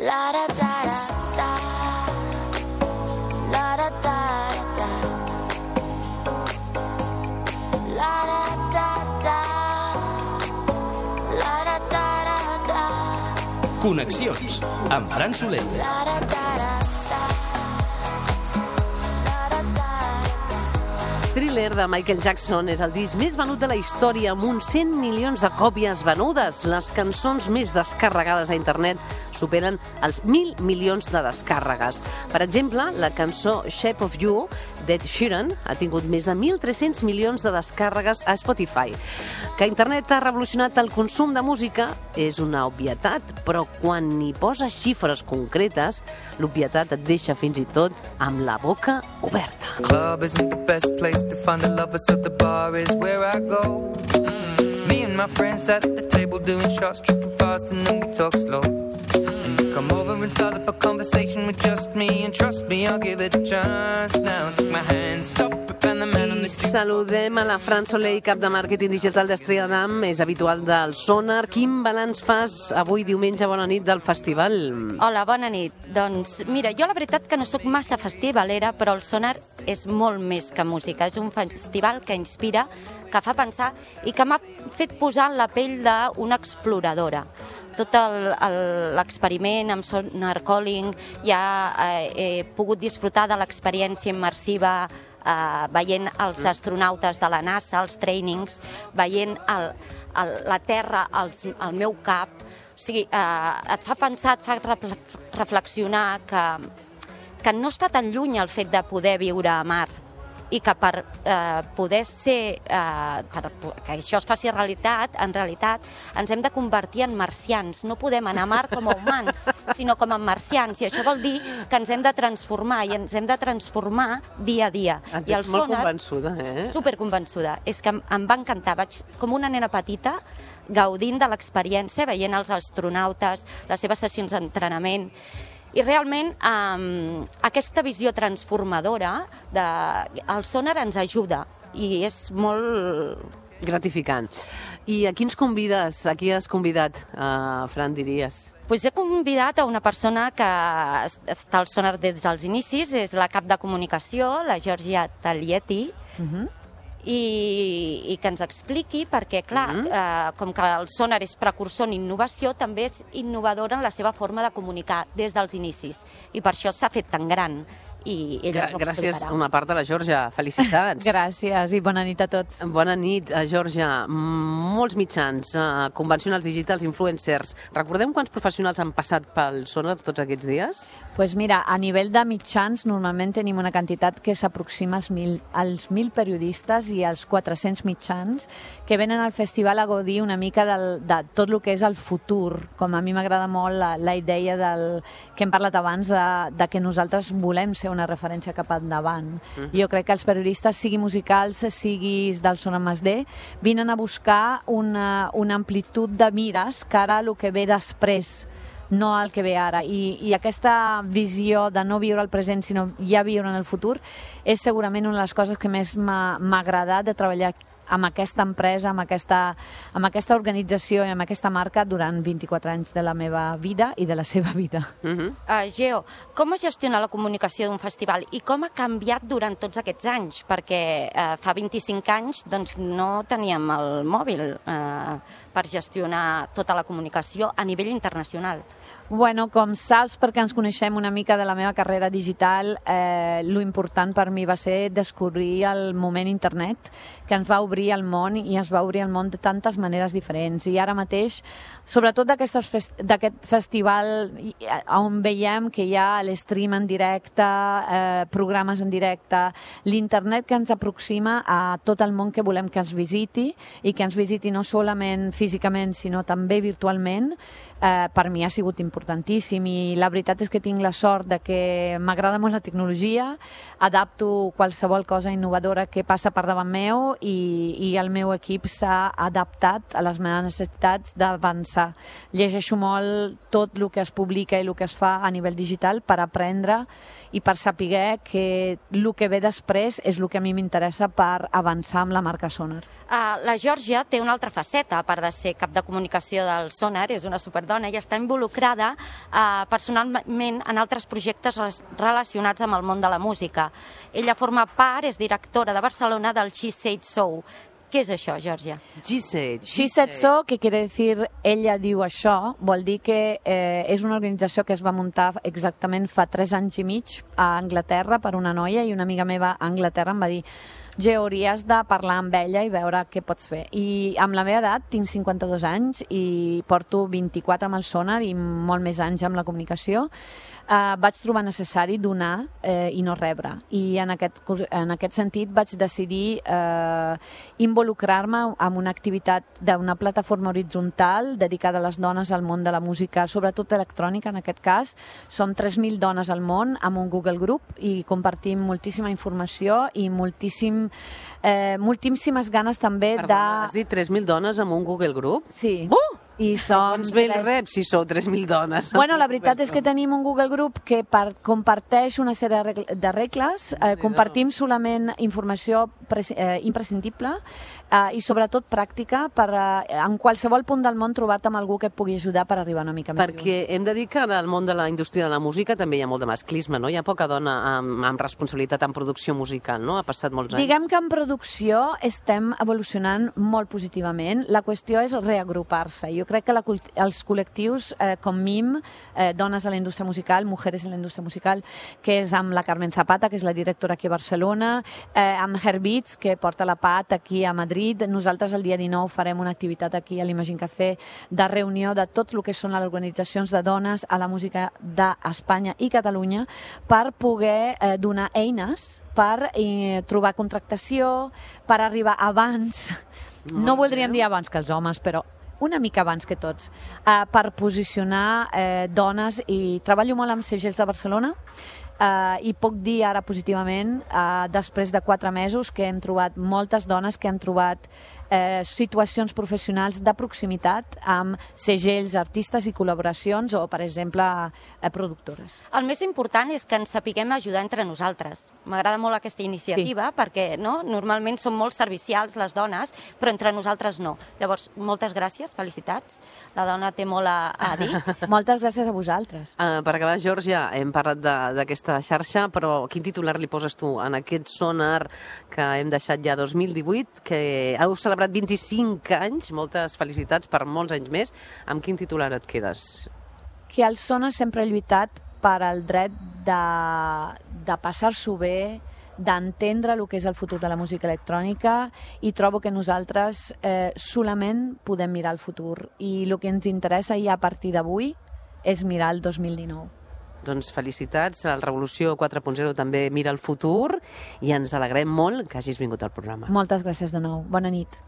La da da da da, la da da da, la da da da, la da da da. Connexions amb Fran Soler. La da da da. Thriller de Michael Jackson és el disc més venut de la història amb uns 100 milions de còpies venudes. Les cançons més descarregades a internet superen els 1.000 milions de descàrregues. Per exemple, la cançó Shape of You d'Ed Sheeran ha tingut més de 1.300 milions de descàrregues a Spotify. Que internet ha revolucionat el consum de música és una obvietat, però quan hi poses xifres concretes, l'obvietat et deixa fins i tot amb la boca oberta. Club isn't the best place to find the lovers, so the bar is where I go. Me and my friends at the table doing shots, tripping fast, and then we talk slow. And you come over and start up a conversation with just me, and trust me, I'll give it a chance. Now take my hand, stop it, and the man on the street. Saludem a la Fran Soler, cap de màrqueting digital d'Estrella d'Am, és habitual del Sonar. Quin balanç fas avui diumenge, bona nit, del festival? Hola, bona nit. Doncs mira, jo la veritat que no sóc massa festivalera, però el Sonar és molt més que música. És un festival que inspira, que fa pensar i que m'ha fet posar en la pell d'una exploradora. Tot l'experiment amb Sonar Calling, ja he pogut disfrutar de l'experiència immersiva veient els astronautes de la NASA, els trainings, veient la Terra al meu cap. O sigui, et fa pensar, et fa reflexionar que no està tan lluny el fet de poder viure a mar i que per poder ser, que això es faci realitat, en realitat ens hem de convertir en marcians. No podem anar a mar com a humans, sinó com a marcians. I això vol dir que ens hem de transformar, i ens hem de transformar dia a dia. Et veig molt convençuda, eh? Superconvençuda. És que em va encantar. Vaig com una nena petita gaudint de l'experiència, veient els astronautes, les seves sessions d'entrenament. I realment aquesta visió transformadora del Sonar ens ajuda i és molt gratificant. I a qui ens convides? A qui has convidat, Fran, diries? Pues he convidat a una persona que està al Sonar des dels inicis, és la cap de comunicació, la Georgia Taglietti, i que ens expliqui perquè, clar, com que el Sonar és precursor en innovació, també és innovadora en la seva forma de comunicar des dels inicis. I per això s'ha fet tan gran. I ella ens ho explicarà. Gràcies una part de la Georgia. Felicitats. Gràcies i bona nit a tots. Bona nit, Georgia. Molts mitjans, convencionals digitals, influencers. Recordem quants professionals han passat pel Sonar tots aquests dies? Pues mira, a nivell de mitjans normalment tenim una quantitat que s'aproxima als 1.000 periodistes i als 400 mitjans que venen al festival a gaudir una mica de tot el que és el futur. Com a mi m'agrada molt la idea que hem parlat abans de que nosaltres volem ser una referència cap endavant. Jo crec que els periodistes, sigui musicals, siguis del Sonar +D, vinen a buscar una amplitud de mires cara a el que ve després, no el que ve ara. I aquesta visió de no viure el present, sinó ja viure en el futur, és segurament una de les coses que més m'ha agradat de treballar amb aquesta empresa, amb aquesta organització i amb aquesta marca durant 24 anys de la meva vida i de la seva vida. Geo, com es gestiona la comunicació d'un festival i com ha canviat durant tots aquests anys? Perquè fa 25 anys doncs, no teníem el mòbil per gestionar tota la comunicació a nivell internacional. Bueno, com saps, perquè ens coneixem una mica de la meva carrera digital, lo important per mi va ser descobrir el moment internet, que ens va obrir el món i ens va obrir el món de tantes maneres diferents. I ara mateix, sobretot d'aquest festival on veiem que hi ha l'stream en directe, programes en directe, l'internet que ens aproxima a tot el món que volem que ens visiti i que ens visiti no solament físicament, sinó també virtualment, per mi ha sigut importantíssim. I la veritat és que tinc la sort de que m'agrada molt la tecnologia, adapto qualsevol cosa innovadora que passa per davant meu i el meu equip s'ha adaptat a les meves necessitats d'avançar. Llegeixo molt tot el que es publica i el que es fa a nivell digital per aprendre i per saber que el que ve després és el que a mi m'interessa per avançar amb la marca Sonar. La Georgia té una altra faceta, a part de ser cap de comunicació del Sonar, és una superdona dona i està involucrada personalment en altres projectes relacionats amb el món de la música. Ella forma part, és directora de Barcelona del She Said So. ¿Qué es això, Georgia? She Said So, que quiere decir ella diu això, vol dir que és una organització que es va muntar exactament fa 3 anys i mig a Anglaterra per una noia, i una amiga meva a Anglaterra em va dir: hauries de parlar amb ella i veure què pots fer. I amb la meva edat, tinc 52 anys i porto 24 amb el sonar i molt més anys amb la comunicació, vaig trobar necessari donar i no rebre. I en aquest sentit vaig decidir involucrar-me en una activitat d'una plataforma horitzontal dedicada a les dones al món de la música, sobretot electrònica en aquest cas. Som 3.000 dones al món amb un Google Group i compartim moltíssima informació i moltíssimes ganes també de... Perdona, has dit 3.000 dones amb un Google Group? Sí. I som... Doncs bé el rep, si sou 3.000 dones. Bueno, la veritat és que tenim un Google Group que comparteix una sèrie de regles, compartim solament informació imprescindible i sobretot pràctica per en qualsevol punt del món trobar-te amb algú que et pugui ajudar per arribar una mica més lluny. Perquè hem de dir que en el món de la indústria de la música també hi ha molt de masclisme, no? Hi ha poca dona amb responsabilitat en producció musical, no? Ha passat molts anys. Diguem que en producció estem evolucionant molt positivament. La qüestió és reagrupar-se. Jo crec que els col·lectius com MIM, Dones a la Indústria Musical, Mujeres en la Indústria Musical, que és amb la Carmen Zapata, que és la directora aquí a Barcelona, amb Herbits, que porta la PAT aquí a Madrid. Nosaltres el dia 19 farem una activitat aquí a l'Imagine Café de reunió de tot el que són les organitzacions de dones a la música d'Espanya i Catalunya per poder donar eines per trobar contractació, per arribar abans, no voldríem dir abans que els homes, però una mica abans que tots, per posicionar dones, i treballo molt amb segells de Barcelona, i puc dir ara positivament, després de 4 mesos, que hem trobat moltes dones que han trobat situacions professionals de proximitat amb segells, artistes i col·laboracions o, per exemple, productores. El més important és que ens sapiguem ajudar entre nosaltres. M'agrada molt aquesta iniciativa perquè normalment som molt servicials les dones, però entre nosaltres no. Llavors, moltes gràcies, felicitats. La dona té molt a dir. Moltes gràcies a vosaltres. Per acabar, Georgia, hem parlat d'aquesta xarxa, però quin titular li poses tu en aquest sonar que hem deixat ja 2018, que heu celebrat 25 anys, moltes felicitats per molts anys més. Amb quin titular et quedes? Que el sonar sempre ha lluitat per al dret de passar-s'ho bé, d'entendre el que és el futur de la música electrònica, i trobo que nosaltres solament podem mirar el futur, i el que ens interessa ja a partir d'avui és mirar el 2019. Doncs felicitats, el Revolució 4.0 també mira el futur i ens alegrem molt que hagis vingut al programa. Moltes gràcies de nou. Bona nit.